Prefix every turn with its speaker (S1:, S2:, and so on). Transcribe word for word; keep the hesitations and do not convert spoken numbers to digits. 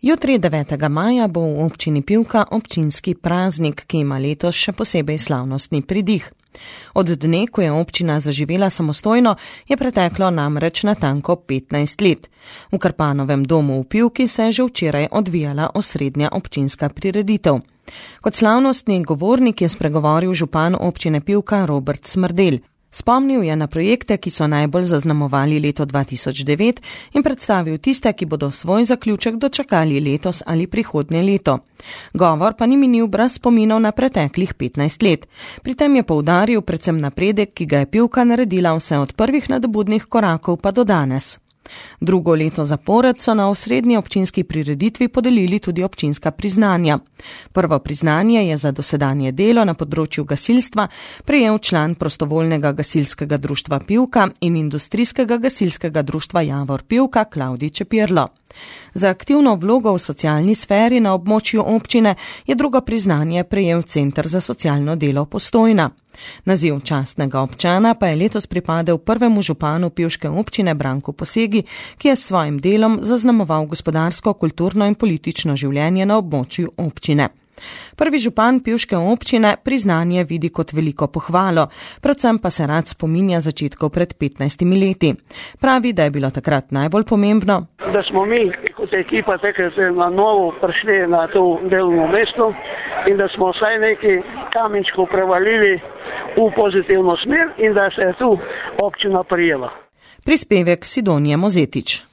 S1: Jutri, devetega maja, bo v občini Pivka občinski praznik, ki ima letos še posebej slavnostni pridih. Od dne, ko je občina zaživela samostojno, je preteklo namreč natanko petnajst let. V Krpanovem domu v Pivki se je že včeraj odvijala osrednja občinska prireditev. Kot slavnostni govornik je spregovoril župan občine Pivka Robert Smrdelj. Spomnil je na projekte, ki so najbolj zaznamovali leto dva tisoč devet in predstavil tiste, ki bodo svoj zaključek dočakali letos ali prihodnje leto. Govor pa ni minil brez spominov na preteklih petnajst let. Pri tem je poudaril predvsem napredek, ki ga je Pivka naredila vse od prvih nadobudnih korakov pa do danes. Drugo leto zapored so na osrednji občinski prireditvi podelili tudi občinska priznanja. Prvo priznanje je za dosedanje delo na področju gasilstva prejel član prostovoljnega gasilskega društva Pivka in industrijskega gasilskega društva Javor Pivka Klavdij Čepirlo. Za aktivno vlogo v socialni sferi na območju občine je drugo priznanje prejel Center za socialno delo Postojna. Naziv častnega občana pa je letos pripadel prvemu županu pivške občine Branku Posegi, ki je s svojim delom zaznamoval gospodarsko, kulturno in politično življenje na območju občine. Prvi župan pivške občine priznanje vidi kot veliko pohvalo, predvsem pa se rad spominja začetkov pred petnajstimi leti. Pravi, da je bilo takrat najbolj pomembno,
S2: da smo mi kot ekipa takrat na novo prišli na to delovno mesto in da smo vsaj nekaj kamenčkov prevalili v pozitivno smer in da se je tu občina prijela.
S1: Prispevek Sidonije Mozetič.